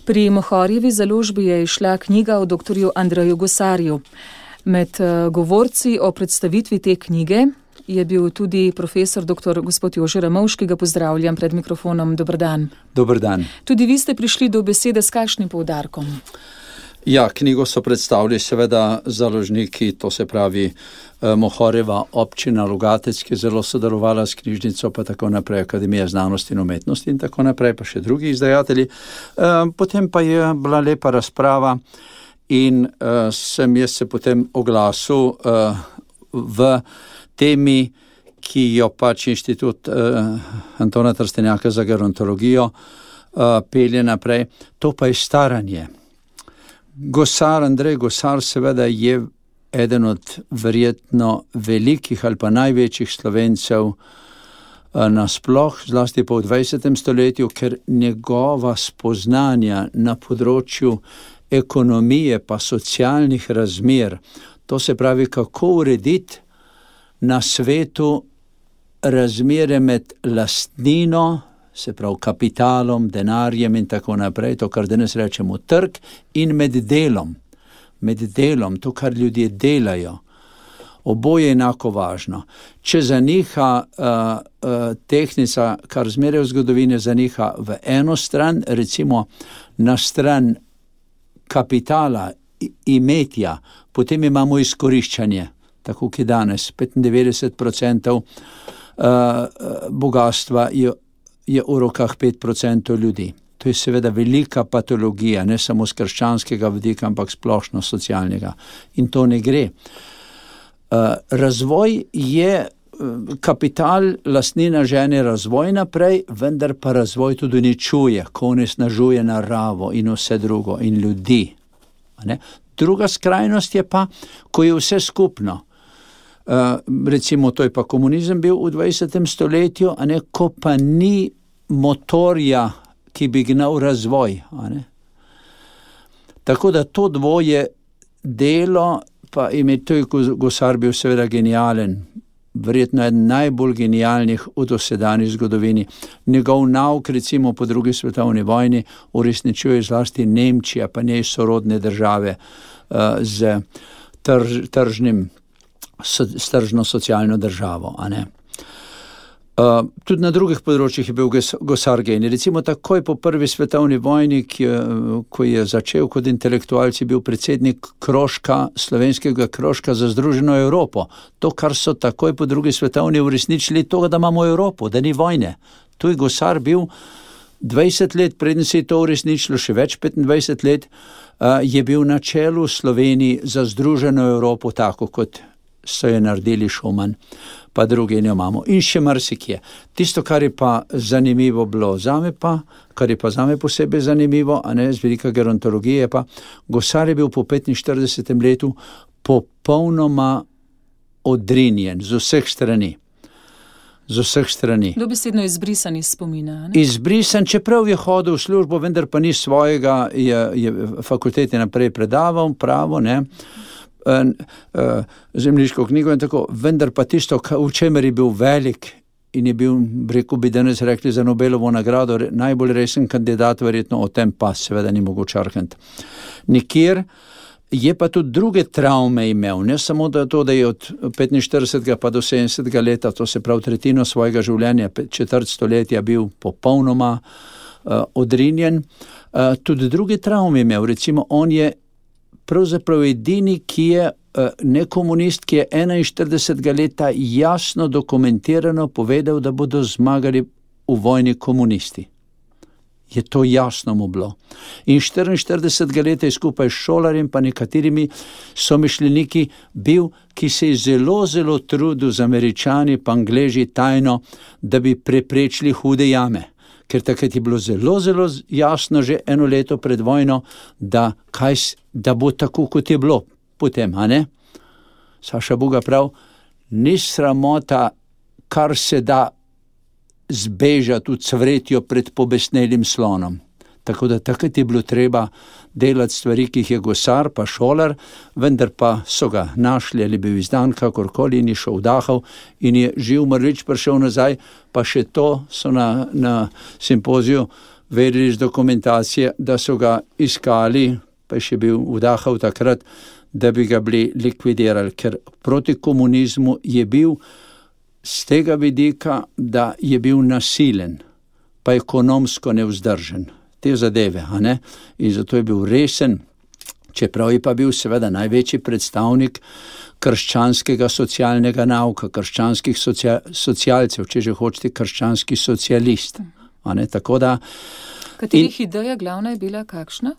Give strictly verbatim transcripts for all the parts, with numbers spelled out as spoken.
Pri Mohorjevi založbi je izšla knjiga o doktorju Andreju Gosarju. Med govorci o predstavitvi te knjige je bil tudi profesor doktor gospod Jože Ramovš, ki ga pozdravljam pred mikrofonom. Dober dan. Dober dan. Tudi vi ste prišli do besede s kakšnim poudarkom? Ja, knjigo so predstavili seveda založniki, to se pravi Mohorjeva občina Logatec, ki je zelo sodelovala s knjižnico, pa tako naprej, Akademija znanosti in umetnosti in tako naprej, pa še drugi izdajatelji. Potem pa je bila lepa razprava in sem jaz se potem oglasil v temi, ki jo pač Inštitut Antona Trstenjaka za gerontologijo pelje naprej, to pa je staranje. Gosar, Andrej Gosar seveda je eden od verjetno velikih ali pa največjih Slovencev nasploh, zlasti pa v dvajsetem stoletju, ker njegova spoznanja na področju ekonomije pa socialnih razmer, to se pravi, kako urediti na svetu razmere med lastnino, se pravi kapitalom, denarjem in tako naprej, to, kar danes rečemo trg, in med delom. Med delom, to, kar ljudje delajo. Oboje je enako važno. Če zaniha uh, uh, tehnica, kar zmeraj v zgodovini zaniha v eno stran, recimo na stran kapitala, imetja, potem imamo izkoriščanje, tako ki danes petindevetdeset procentov uh, bogatstva je je v rokah pet procentov ljudi. To je seveda velika patologija, ne samo z krščanskega vidika, ampak splošno socialnega. In to ne gre. Razvoj je, kapital, lastnina žene razvoj naprej, vendar pa razvoj tudi uničuje, ko onesnažuje naravo in vse drugo in ljudi. Ne? Druga skrajnost je pa, ko je vse skupno. Uh, recimo, to je pa komunizem bil v dvajsetem stoletju, a ne, ko pa ni motorja, ki bi gnal razvoj. A ne. Tako da to dvoje delo, pa ime to je Gosar bil seveda genijalen, verjetno eden najbolj genijalnih v dosedanji zgodovini. Njegov nauk, recimo po drugi svetovni vojni, uresničuje zlasti Nemčija, pa njej sorodne države uh, z trž, tržnim s tržno socialno državo. A ne? Uh, tudi na drugih področjih je bil Gosar genij. Recimo takoj po prvi svetovni vojni, ki je, ko je začel kot intelektualec, je bil predsednik krožka, slovenskega krožka za Združeno Evropo. To, kar so takoj po drugi svetovni uresničili, to, da imamo Evropo, da ni vojne. Tu je Gosar bil dvajset let, preden se je to uresničilo, še več, petindvajset let, uh, je bil na čelu Sloveniji za Združeno Evropo, tako kot so je naredili Šuman, pa drugi ne imamo. In še marsikje. Tisto, kar je pa zanimivo bilo zame pa, kar je pa zame posebej zanimivo, a ne, z velika gerontologije, pa Gosar je bil po petinštiridesetem letu popolnoma odrinjen z vseh strani. Z vseh strani. Dobesedno izbrisan iz spomina. Ne? Izbrisan, čeprav je hodil v službo, vendar pa ni svojega, je, je fakultete naprej predaval, pravo, ne, zemljiško knjigo in tako, vendar pa tisto, v čemer je bil velik in je bil, rekel bi danes rekli za Nobelovo nagrado, najbolj resen kandidat, verjetno o tem pa seveda ni mogoče arkant. Nikjer je pa tudi druge travme imel, ne samo da to, da je od petinštiridesetega pa do sedemdesetega leta, to se pravi tretjino svojega življenja, četrt stoletja bil popolnoma uh, odrinjen, uh, tudi druge travme imel, recimo on je pravzaprav edini, ki je ne komunist, ki je enainštiridesetega leta jasno dokumentirano povedal, da bodo zmagali v vojni komunisti. Je to jasno mu bilo. In štiriinštiridesetega leta je skupaj s Šolarjem pa nekaterimi somišljeniki bil, ki se je zelo, zelo trudil z Američani pa Angleži tajno, da bi preprečili hude jame. Ker takrat je bilo zelo, zelo jasno že eno leto pred vojno, da, kaj, da bo tako, kot je bilo potem, a ne? Saša Buga prav, ni sramota, kar se da zbežati v cvretjo pred pobesnelim slonom. Tako da takrat je bilo treba delati stvari, ki jih je Gosar pa Šolar, vendar pa so ga našli ali bil izdan kakorkoli in je šel vdahal in je živ mrlič prišel nazaj, pa še to so na, na simpoziju vedeli iz dokumentacije, da so ga iskali, pa je še bil vdahal takrat, da bi ga bili likvidirali, ker proti komunizmu je bil z tega vidika, da je bil nasilen, pa ekonomsko nevzdržen. Te zadeve, a ne? In zato je bil resen, čeprav je pa bil seveda največji predstavnik krščanskega socialnega nauka, krščanskih socia- socialcev, če že hočete, krščanski socialist. A ne? Tako da... Katerih in... ideja glavna je bila kakšna?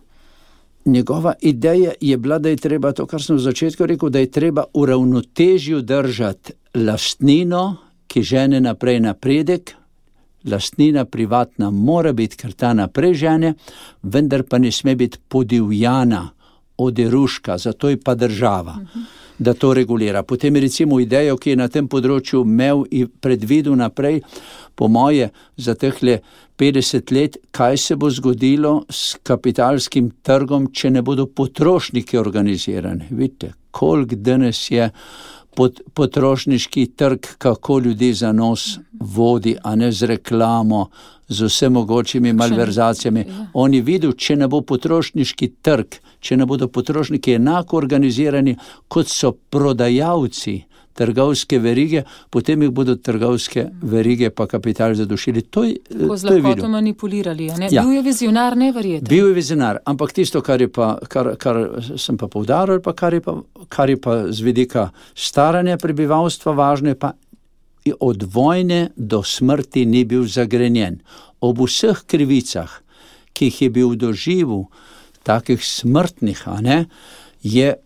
Njegova ideja je bila, da je treba, to kar sem v začetku rekel, da je treba v ravnotežju držati lastnino, ki žene naprej napredek. Lastnina privatna mora biti, ker ta naprej žene, vendar pa ne sme biti podivjana, oderuška, zato je pa država, uh-huh. da to regulira. Potem recimo idejo, ki je na tem področju imel in predvidel naprej, po moje za tehle petdeset let, kaj se bo zgodilo s kapitalskim trgom, če ne bodo potrošniki organizirani. Vidite, koliko danes je pot, potrošniški trg, kako ljudi za nos vodi, a ne z reklamo, z vse mogočimi malverzacijami. Oni vidijo, če ne bo potrošniški trg, če ne bodo potrošniki enako organizirani, kot so prodajalci trgovske verige, potem jih bodo trgovske verige pa kapital zadušili. To je, Ko z lahkoto manipulirali, a ne? Ja. Bil je vizionar, neverjeten. Bil je vizionar, ampak tisto, kar je pa, kar, kar sem pa poudaril, pa kar je pa, kar je pa z vidika staranja prebivalstva važno, je pa od vojne do smrti ni bil zagrenjen. Ob vseh krivicah, ki jih je bil doživel, takih smrtnih, a ne, je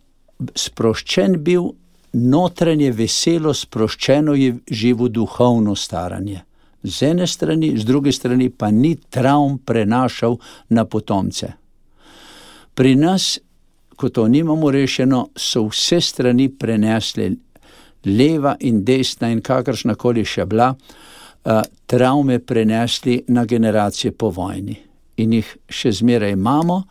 sproščen bil, notranje veselo sproščeno je živo duhovno staranje. Z ene strani, z druge strani pa ni travm prenašal na potomce. Pri nas, ko to nimamo rešeno, so vse strani prenesli, leva in desna in kakršnakoli še bila, uh, travme prenesli na generacije po vojni. In jih še zmeraj imamo,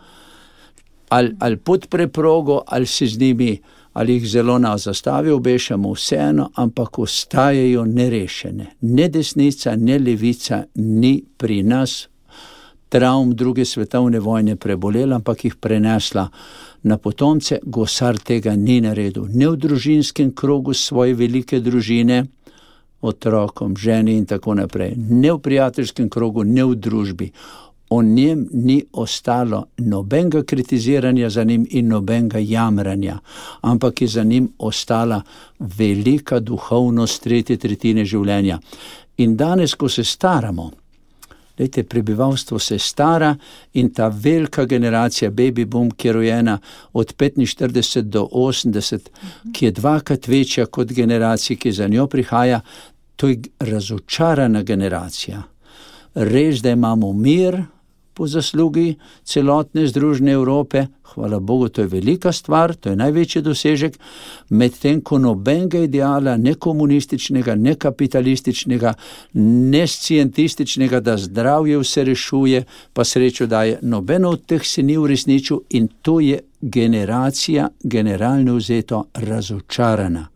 ali, ali pod preprogo, ali si z njimi, ali jih zelo na zastavi obešamo, vseeno, ampak ostajajo nerešene. Ne desnica, ne levica ni pri nas travm druge svetovne vojne prebolela, ampak jih prenesla na potomce. Gosar tega ni naredil. Ne v družinskem krogu svoje velike družine, otrokom, ženi in tako naprej. Ne v prijateljskem krogu, ne v družbi. O njem ni ostalo nobenega kritiziranja za njim in nobenega jamranja, ampak je za njim ostala velika duhovnost tretje tretjine življenja. In danes, ko se staramo, lejte, prebivalstvo se stara in ta velika generacija baby boom, ki je rojena od petinštirideset do osemdeset, ki je dvakrat večja kot generacija, ki za njo prihaja, to je razočarana generacija. Res, da imamo mir po zaslugi celotne združene Evrope, hvala Bogu, to je velika stvar, to je največji dosežek, medtem ko nobenega ideala, ne komunističnega, ne kapitalističnega, ne scientističnega, da zdravje vse rešuje, pa srečo daje, nobeno od teh se ni uresničil in to je generacija, generalno vzeto, razočarana.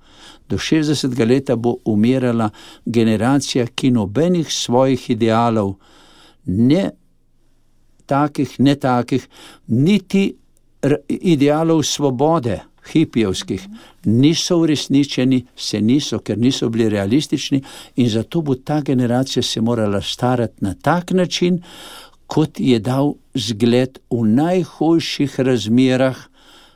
Do šestdesetega leta bo umirala generacija, ki nobenih svojih idealov, ne takih, ne takih, niti idealov svobode, hipijevskih, niso uresničeni, se niso, ker niso bili realistični in zato bo ta generacija se morala starati na tak način, kot je dal zgled v najhujših razmerah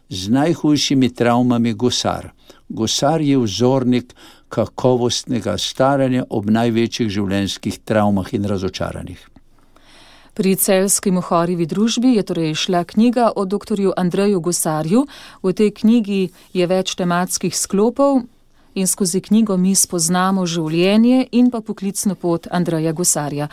z najhujšimi travmami Gosar. Gosar je vzornik kakovostnega staranja ob največjih življenjskih travmah in razočaranjih. Pri Celjski Mohorjevi družbi je torej šla knjiga o doktorju Andreju Gosarju. V tej knjigi je več tematskih sklopov in skozi knjigo mi spoznamo življenje in pa poklicno pot Andreja Gosarja.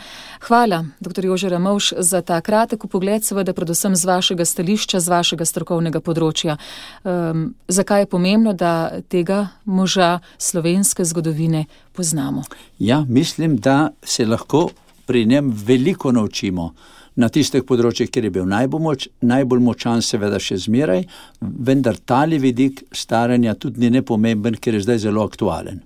Hvala, doktor Jože Ramovš, za ta kratek pogled, seveda predvsem z vašega stališča, z vašega strokovnega področja. Um, zakaj je pomembno, da tega moža slovenske zgodovine poznamo? Ja, mislim, da se lahko pri njem veliko naučimo na tistih področjih, kjer je bil najbolj, moč, najbolj močan, seveda še zmeraj, vendar tali vidik staranja tudi ni nepomemben, ker je zdaj zelo aktualen.